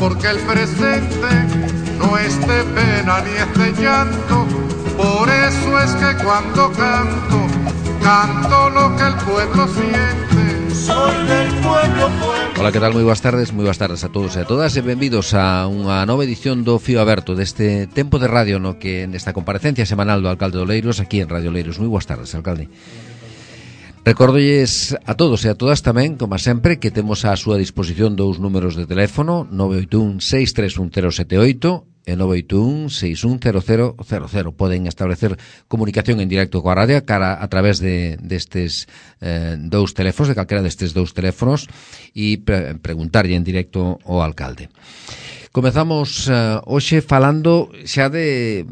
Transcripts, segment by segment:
porque el presente no es de pena ni es de llanto. Por eso es que cuando canto, canto lo que el pueblo siente. Soy del pueblo, pueblo. Ola, que tal? Moi boas tardes a todos e a todas e benvidos a unha nova edición do Fío Aberto deste tempo de radio no que nesta comparecencia semanal do alcalde de Oleiros aquí en Radio Oleiros. Moi boas tardes, alcalde. Recórdolles a todos e a todas tamén, como sempre, que temos á súa disposición dous números de teléfono, 981 631 078 e 981 610000. Poden establecer comunicación en directo coa radio a través destes dous teléfonos, de calquera destes dous teléfonos, e preguntarlle en directo ao alcalde. Comezamos hoxe falando xa de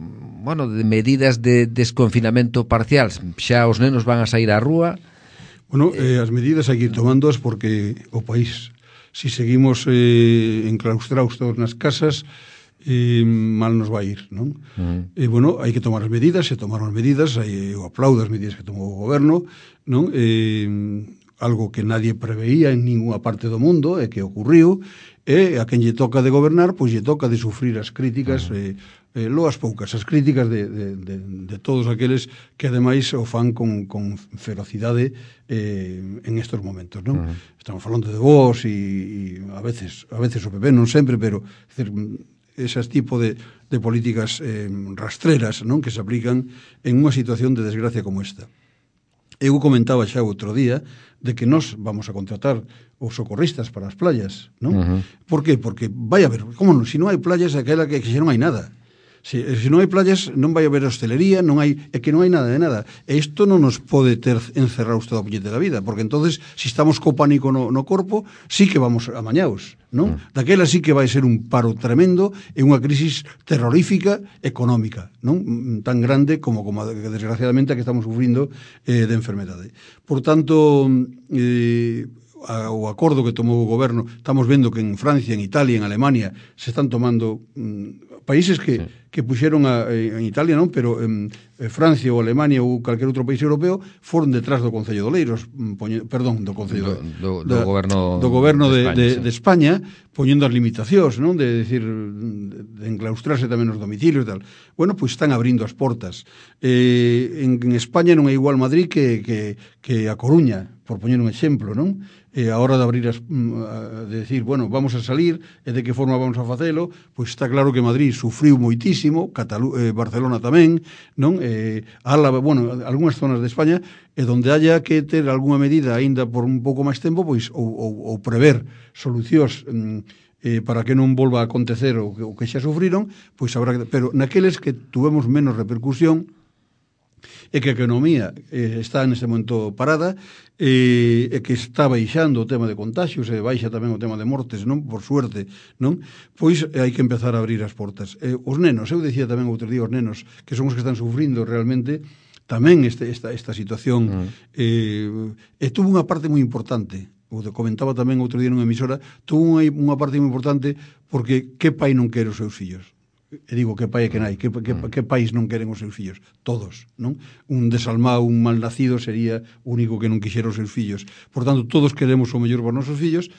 medidas de desconfinamento parcial. Xa os nenos van a sair á rúa. As medidas hai que ir tomándoas porque o país, si seguimos enclaustrados todos nas casas, mal nos vai ir, non? Hai que tomar as medidas, se tomaron as medidas, eu aplaudo as medidas que tomou o goberno, non? Algo que nadie preveía en ninguna parte do mundo e que ocurriu, e a quen lle toca de gobernar, pois lle toca de sufrir as críticas, loas poucas, as críticas de todos aqueles que ademais o fan con ferocidade en estos momentos, non? Estamos falando de vos e a veces o PP, non sempre, pero esas tipo de políticas rastreras, non, que se aplican en unha situación de desgracia como esta. Eu comentaba xa outro día de que nós vamos a contratar os socorristas para as playas, non? Por qué? Porque vai haber, como non, se non hai playas, aquela que xa non hai nada. Se non hai playas, non vai haber hostelería, é que non hai nada de nada. E isto non nos pode ter encerrados toda a puñete da vida, porque entonces, se estamos co pánico no corpo, sí que vamos amañaos, non? Daquela sí que vai ser un paro tremendo e unha crisis terrorífica económica, non? Tan grande como desgraciadamente a que estamos sufrindo de enfermedade. Por tanto, o acordo que tomou o goberno, estamos vendo que en Francia, en Italia, en Alemania se están tomando países que puxeron en Italia non, pero en Francia ou Alemania ou calquer outro país europeo foron detrás do Concello de Oleiros, do Concello do goberno de España, poñendo as limitacións, non, de decir, de enclaustrarse tamén nos domicilios e tal. Bueno, pois están abrindo as portas. En España non é igual Madrid que a Coruña, por poñer un exemplo, non? A hora de abrir de decir, bueno, vamos a salir e de que forma vamos a facelo, pois está claro que Madrid sufriu moitísimo, Barcelona tamén, non? Álava, algunhas zonas de España, e donde haya que ter algunha medida aínda por un pouco máis tempo, pois ou prever solucións para que non volva a acontecer o que xa sufriron, pois habrá que, pero naqueles que tuvemos menos repercusión e que a economía está neste momento parada e que está baixando o tema de contagios e baixa tamén o tema de mortes, non? Por suerte, non? Pois hai que empezar a abrir as portas. Os nenos, eu dicía tamén outro día, os nenos que son os que están sufrindo realmente tamén esta situación e tuvo unha parte moi importante, o comentaba tamén outro día nunha emisora, tuvo unha parte moi importante porque que pai non quere os seus fillos? E digo, que pai e que nai, que pais non queren os seus fillos? Todos, non? Un desalmado, un mal nacido sería o único que non quixera os seus fillos. Por tanto, todos queremos o mellor para os nosos fillos,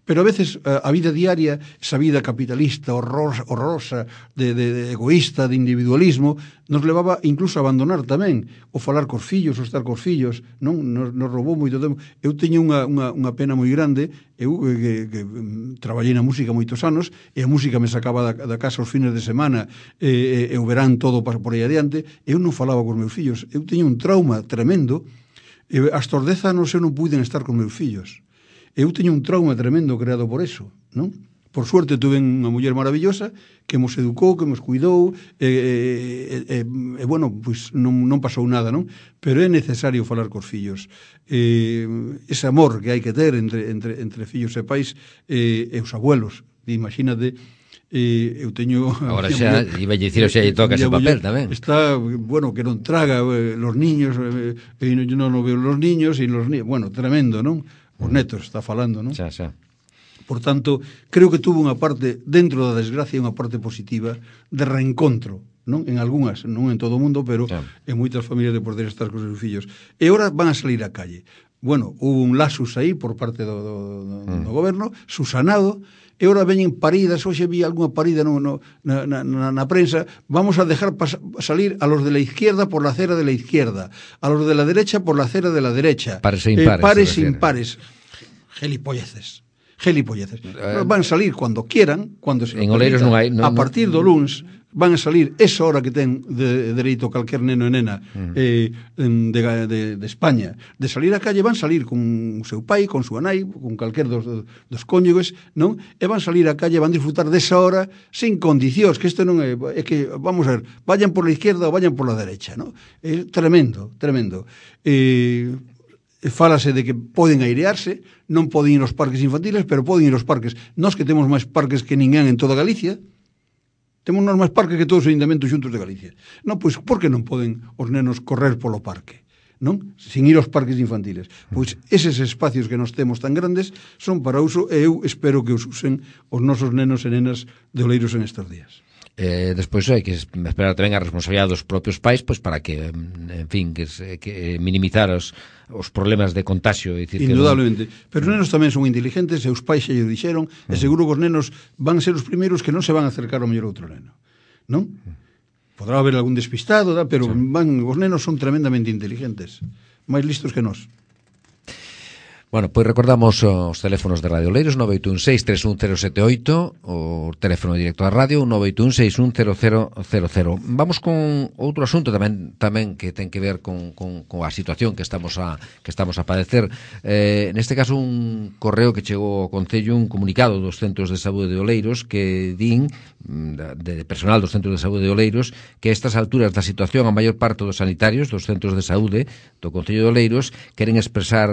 pero a veces a vida diaria, esa vida capitalista, horrorosa, de egoísta, de individualismo, nos levaba incluso a abandonar tamén o falar cos fillos, o estar cos fillos, non? Nos roubou moito tempo. Eu teño unha pena moi grande, eu que traballei na música moitos anos, e a música me sacaba da casa os fines de semana, e o verán todo por aí adiante, eu non falaba cos meus fillos. Eu teño un trauma tremendo, e hasta os 10 anos eu non puiden estar cos meus fillos. Eu teño un trauma tremendo creado por eso, non? Por suerte tuve unha muller maravillosa que nos educou, que nos cuidou bueno, pois non pasou nada, non? Pero é necesario falar cos fillos. Ese amor que hai que ter entre fillos e pais e os abuelos. Imagínate, eu teño... Agora xa, iba a dicir, xa lle toca ese papel tamén. Está, que non traga los niños, non veo los niños, tremendo, non? Os netos, está falando, non? Xa. Por tanto, creo que tuvo unha parte, dentro da desgracia, unha parte positiva de reencontro, non? En algunhas, non en todo o mundo, pero en moitas familias de poder estar con os seus fillos. E agora van a salir á calle. Hubo un lasus aí por parte do goberno, susanado, e ora veñen paridas, hoxe vi algunha parida na prensa, vamos a dejar salir a los de la izquierda por la acera de la izquierda, a los de la derecha por la acera de la derecha. Pares e impares. Pares e impares. Gelipolleces. Van a salir cuando quieran, cuando se en Oleiros non hai, a partir do luns van a salir esa hora que ten de dereito calquer neno e nena de España, de salir á calle, van salir con o seu pai, con súa nai, con calquer dos cónyuges, non? E van salir á calle, van disfrutar desa hora sin condicións, que isto non é que, vamos a ver, vayan por la izquierda ou vayan por la derecha, non? É tremendo. Fálase de que poden airearse, non poden ir aos parques infantiles, pero poden ir aos parques. Nós que temos máis parques que ninguén en toda Galicia, temos nós máis parques que todos os ayuntamentos xuntos de Galicia. Non, pois, por que non poden os nenos correr polo parque? Non? Sin ir aos parques infantiles. Pois eses espacios que nós temos tan grandes son para uso e eu espero que os usen os nosos nenos e nenas de Oleiros en estes días. Despois hai que esperar tamén a responsabilidade dos propios pais, pois para que, en fin, que minimizar os problemas de contagio. Indudablemente. Pero os nenos tamén son inteligentes, e os pais xa lle dixeron, e seguro que os nenos van ser os primeiros que non se van a acercar ao mellor outro neno. Non? Podrá haber algún despistado, pero os nenos son tremendamente inteligentes, máis listos que nós. Bueno, pois recordamos os teléfonos de Radio Oleiros, 981-631-078, o teléfono directo da radio, 981-631-0000. Vamos con outro asunto tamén que ten que ver con a situación que estamos a padecer. Neste caso, un correo que chegou ao Concello, un comunicado dos centros de saúde de Oleiros, que din, de personal dos centros de saúde de Oleiros, que a estas alturas da situación, a maior parte dos sanitarios dos centros de saúde do Concello de Oleiros queren expresar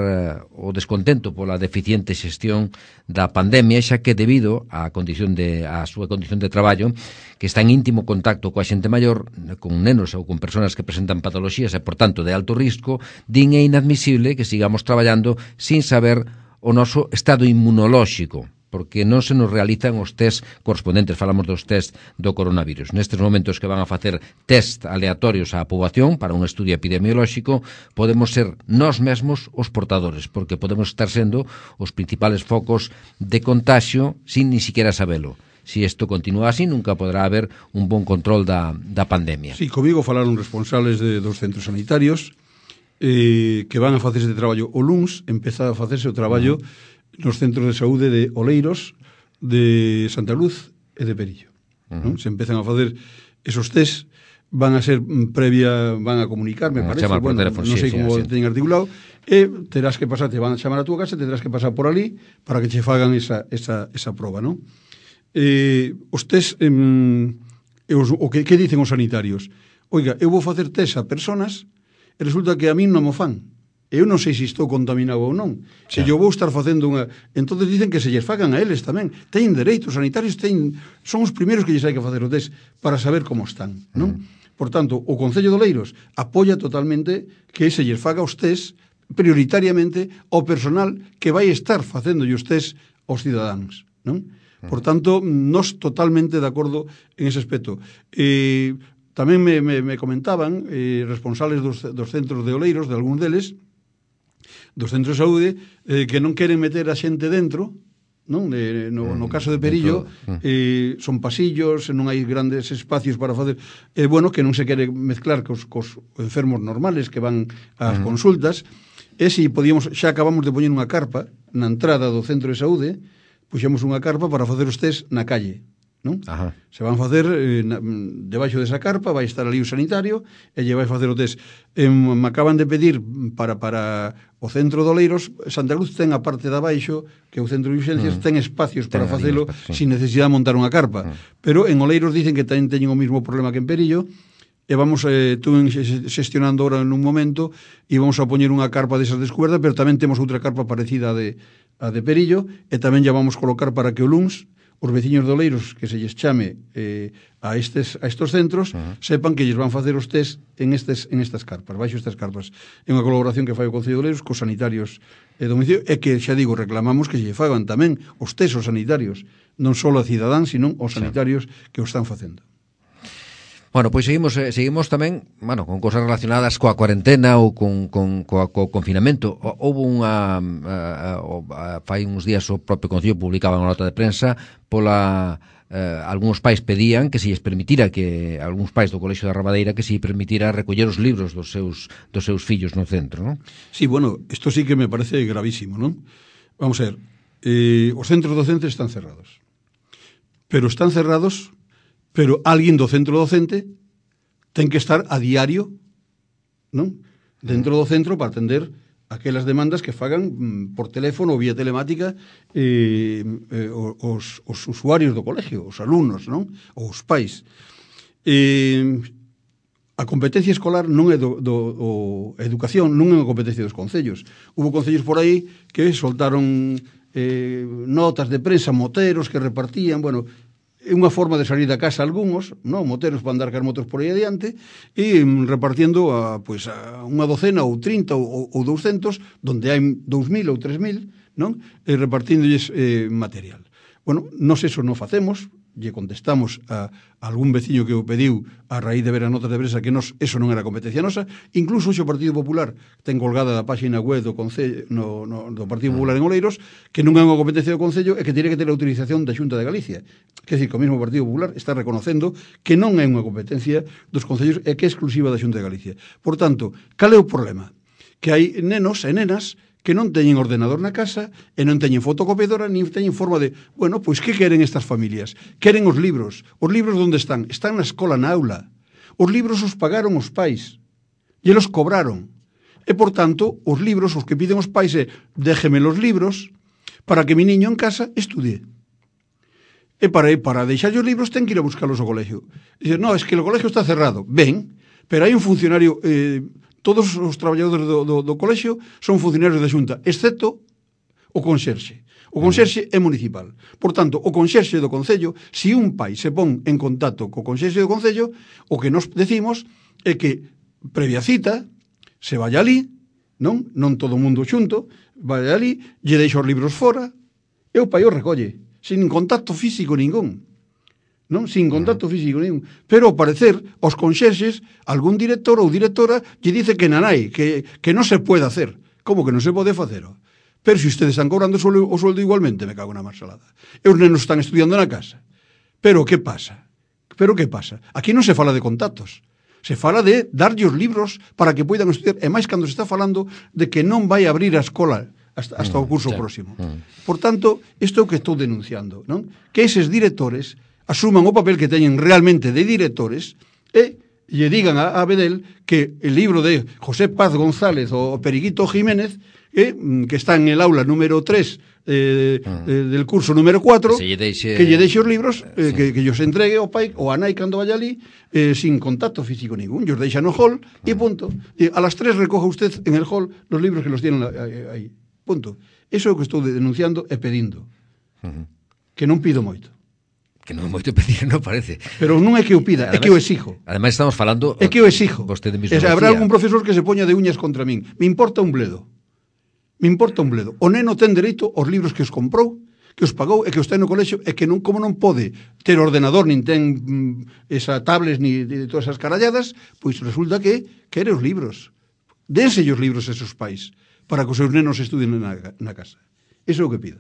o descontento pola deficiente xestión da pandemia, xa que debido á súa condición de traballo, que está en íntimo contacto coa xente maior, con nenos ou con persoas que presentan patoloxías e, por tanto, de alto risco, din é inadmisible que sigamos traballando sin saber o noso estado inmunolóxico, porque non se nos realizan os test correspondentes, falamos dos test do coronavirus. Nestes momentos que van a facer test aleatorios á poboación para un estudio epidemiolóxico, podemos ser nós mesmos os portadores, porque podemos estar sendo os principales focos de contagio sin ni siquiera sabelo. Si isto continúa así, nunca podrá haber un bon control da pandemia. Sí, comigo falaron responsables dos centros sanitarios que van a facer este traballo. O luns empeza a facerse o traballo nos centros de saúde de Oleiros, de Santa Luz e de Perillo. Non? Se empezan a facer esos test, van a ser van a comunicar, me parece, bueno, teléfono, non sei como teñen articulado, e terás que pasar, te van a chamar a túa casa, terás que pasar por ali para que che fagan esa proba, non? Os test, que dicen os sanitarios? Oiga, eu vou facer test a personas e resulta que a min non mo fan. Eu non sei se estou contaminado ou non. Se eu vou estar facendo entonces dicen que se lles fagan a eles tamén. Teñen dereitos sanitarios, son os primeiros que lles hai que facer o test para saber como están, non? Por tanto, o Concello de Oleiros apoia totalmente que se lles faga os test prioritariamente ao personal que vai estar facendo os test aos cidadáns, non? Por tanto, nós totalmente de acordo en ese aspecto. Tamén me comentaban responsables dos centros de Oleiros, de algúns deles, dos centros de saúde, que non queren meter a xente dentro, non? No caso de Perillo, son pasillos, non hai grandes espacios para facer, bueno, que non se quere mezclar cos enfermos normales que van ás consultas, e se podíamos, xa acabamos de poñer unha carpa na entrada do centro de saúde, puxemos unha carpa para facer os test na calle, non? Ajá. Se van facer debaixo desa carpa, vai estar ali o sanitario e lle vai facer o test. Me acaban de pedir para o centro de Oleiros, Santa Luz ten a parte de abaixo, que é o centro de urgencias, ten espacios para facelo sin necesidade de montar unha carpa. Pero en Oleiros dicen que tamén teñen o mismo problema que en Perillo, e vamos, estuve xestionando ahora en un momento, e vamos a poñer unha carpa desas descubertas, pero tamén temos outra carpa parecida a de Perillo, e tamén ya vamos colocar para que o luns os veciños de Oleiros que se lles chame a estos centros sepan que lles van facer os test en estas carpas, baixo estas carpas. É unha colaboración que fai o Concello de Oleiros cos sanitarios de domicilio, e que, xa digo, reclamamos que lle fagan tamén os test aos sanitarios, non só a cidadáns, sino aos sanitarios que o están facendo. Bueno, pois seguimos tamén, bueno, con cosas relacionadas coa cuarentena ou co confinamento. Houve fai uns días o propio Concello publicaba unha nota de prensa pola algúns pais pedían que se lles permitira, que algúns pais do Colexio da Rabadeira, que se lles permitira recoller os libros dos seus fillos no centro, non? Sí, bueno, isto sí que me parece gravísimo, non? Vamos a ver, os centros docentes están cerrados. Pero alguén do centro docente ten que estar a diario, non? Dentro do centro para atender aquelas demandas que fagan por teléfono ou vía telemática os usuarios do colegio, os alumnos, non? Ou os pais. A competencia escolar non é a educación non é unha competencia dos concellos. Hubo concellos por aí que soltaron notas de prensa, moteros que repartían, bueno, é unha forma de salir da casa algúns, non, moteros para andar car motos por aí adiante, e repartiendo a unha docena ou 30 ou 200, donde hai 2.000 ou 3.000, non? E repartíndolles material. Bueno, nós eso non facemos, lle contestamos a algún veciño que o pediu a raíz de ver a notas de prensa que eso non era competencia nosa. Incluso o Partido Popular ten colgada da página web do Concello do Partido Popular en Oleiros que non é unha competencia do Concello e que tiene que ter a autorización da Xunta de Galicia. Quer dizer, que o mesmo Partido Popular está reconocendo que non é unha competencia dos concellos e que é exclusiva da Xunta de Galicia. Por tanto, cal é o problema? Que hai nenos e nenas que non teñen ordenador na casa e non teñen fotocopiadora nin teñen forma de... Bueno, pois que queren estas familias? Queren os libros. Os libros onde están? Están na escola, na aula. Os libros os pagaron os pais e los cobraron. E, por tanto, os libros, os que piden os pais é déjeme los libros para que mi niño en casa estudie. E para deixar os libros ten que ir a buscarlos ao colegio. Dice, no, es que o colegio está cerrado. Ben, pero hai un funcionario... todos os traballadores do colexio son funcionarios da Xunta, excepto o conserxe. O conserxe é municipal. Por tanto, o conserxe do Concello, se un pai se pon en contacto co conserxe do Concello, o que nos decimos é que, previa cita, se vaya ali, non todo o mundo xunto, vaya ali, lle deixa os libros fora, e o pai o recolle, sin contacto físico ningún. Non? Sin contacto físico ningún. Pero, ao parecer, os conxerxes, algún director ou directora lle dice que nanai, que non se pode hacer. Como que non se pode facer? Pero se ustedes están cobrando o sueldo igualmente, me cago na marsalada. E os nenos están estudiando na casa. Pero que pasa? Aquí non se fala de contactos. Se fala de darlle os libros para que poidan estudiar. E máis cando se está falando de que non vai abrir a escola hasta o curso próximo. Por tanto, isto é o que estou denunciando, non? Que eses directores asuman o papel que teñen realmente de directores e lle digan a Bedel que el libro de José Paz González o Periquito Jiménez que está en el aula número 3 del curso número 4 que lle deixe os libros que os entregue ao pai ou a nai cando vaya ali sin contacto físico ningún, os deixa no hall e punto. A las 3 recoja usted en el hall los libros que los tienen aí, punto. Eso é o que estou denunciando e pedindo, que non pido moito. Que non é moito pedir, non parece. Pero non é que o pida, además, é que o exijo. Ademais estamos falando... É que o exijo. Habrá algún profesor que se poña de uñas contra min. Me importa un bledo. O neno ten dereito aos libros que os comprou, que os pagou e que os ten no colexio e que non, como non pode ter ordenador, nin ten esa tablets, ni de todas esas caralladas, pois resulta que quere os libros. Dense os libros a esos pais para que os seus nenos estudien na casa. Iso é o que pido.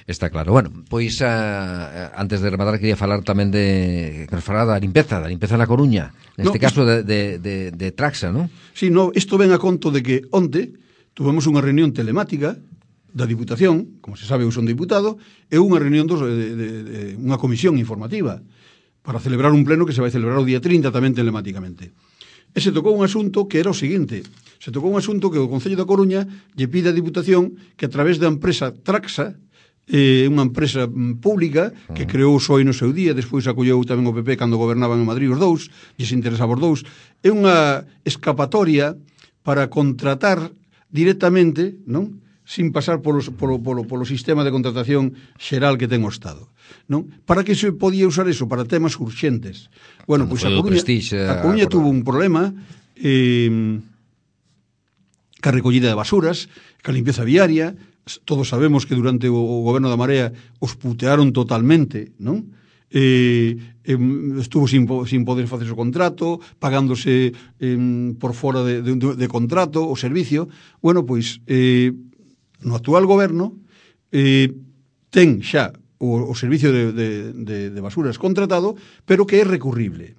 Está claro. Bueno, pois antes de rematar quería falar tamén que nos falara da limpeza na Coruña, neste caso de Traxa, non? Sí, isto ven a conto de que onte tuvemos unha reunión telemática da Diputación, como se sabe eu son diputado, e unha reunión de unha comisión informativa para celebrar un pleno que se vai celebrar o día 30 tamén telemáticamente. E se tocou un asunto que era o seguinte: se tocou un asunto que o Concello da Coruña lle pide á Diputación que a través da empresa Traxa, unha empresa pública que creou o PSOE no seu día, despois acolleu tamén o PP cando gobernaban en Madrid os dous, e se interesaba os dous, é unha escapatoria para contratar directamente, non? Sin pasar polo sistema de contratación xeral que ten o Estado, non? Para que se podía usar eso? Para temas urxentes. Bueno, pois a Coruña tuvo un problema ca recollida de basuras, ca limpieza viaria. Todos sabemos que durante o goberno da Marea os putearon totalmente, non? estuvo sin poder facer o contrato, pagándose por fora de contrato o servicio. Bueno, pois no actual goberno ten xa o servicio de basuras contratado, pero que é recurrible.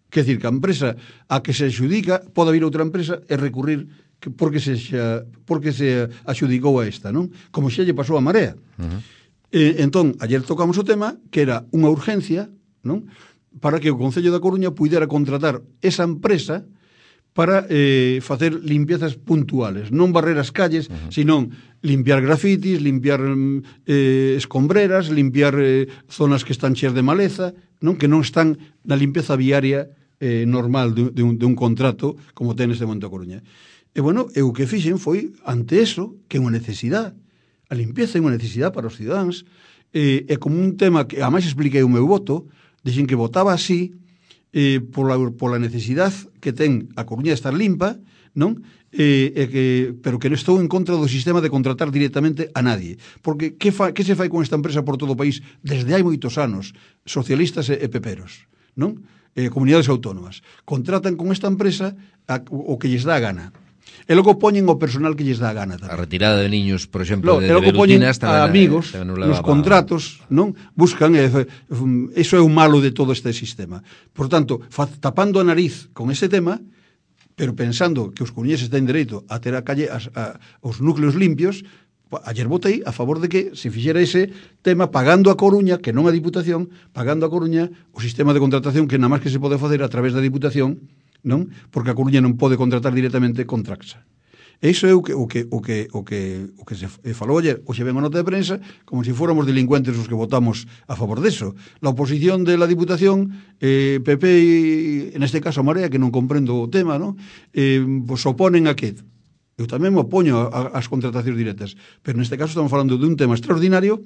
Quer dizer, que a empresa a que se adxudica pode haber outra empresa e recurrir porque se adxudicou a esta, non? Como xa lle pasou a Marea. Entón, ayer tocamos o tema que era unha urgencia, non? Para que o Concello da Coruña puidera contratar esa empresa para facer limpiezas puntuales, non barrer as calles, senón limpiar grafitis, limpiar escombreras, limpiar zonas que están cheas de maleza, non? Que non están na limpeza viaria normal de un contrato como ten neste momento a Coruña. E, bueno, o que fixen foi, ante eso, que é unha necesidade. A limpeza é unha necesidade para os cidadáns. É como un tema que, ademais, expliquei o meu voto, dixen que votaba así pola necesidade que ten a Coruña de estar limpa, non? Pero que non estou en contra do sistema de contratar directamente a nadie. Porque que se fai con esta empresa por todo o país desde hai moitos anos? Socialistas e peperos, non? Comunidades autónomas. Contratan con esta empresa o que lles dá a gana. E logo poñen o personal que lles dá a gana tamén. A retirada de niños, por exemplo, de rutinas a amigos nos contratos, non? Buscan, eso é o malo de todo este sistema. Por tanto, tapando a nariz con ese tema, pero pensando que os coruñeses ten dereito a ter a calle os núcleos limpios, ayer votei a favor de que se fixera ese tema pagando a Coruña, que non a Diputación, pagando a Coruña o sistema de contratación que nada máis que se pode facer a través da Diputación, non? Porque a Coruña non pode contratar directamente con Traxa. E iso é o que se falou ayer, hoxe ven a nota de prensa, como se fóramos delincuentes os que votamos a favor deso. La oposición de la Diputación, PP e, neste caso, a Marea, que non comprendo o tema, non? Pues oponen a que... Eu tamén me opoño ás contratacións directas, pero neste caso estamos falando de un tema extraordinario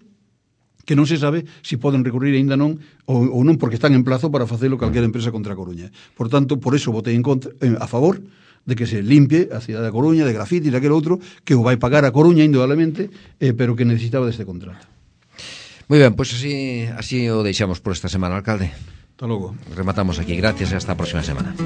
que non se sabe se poden recurrir aínda non ou non, porque están en plazo para facelo calquera empresa contra a Coruña. Por tanto, por eso votei a favor de que se limpie a cidade da Coruña de grafitis, daquele outro que o vai pagar a Coruña indudablemente, pero que necesitaba deste contrato. Moi ben, pois así o deixamos por esta semana, alcalde. Hasta logo. Rematamos aquí, gracias e hasta a próxima semana.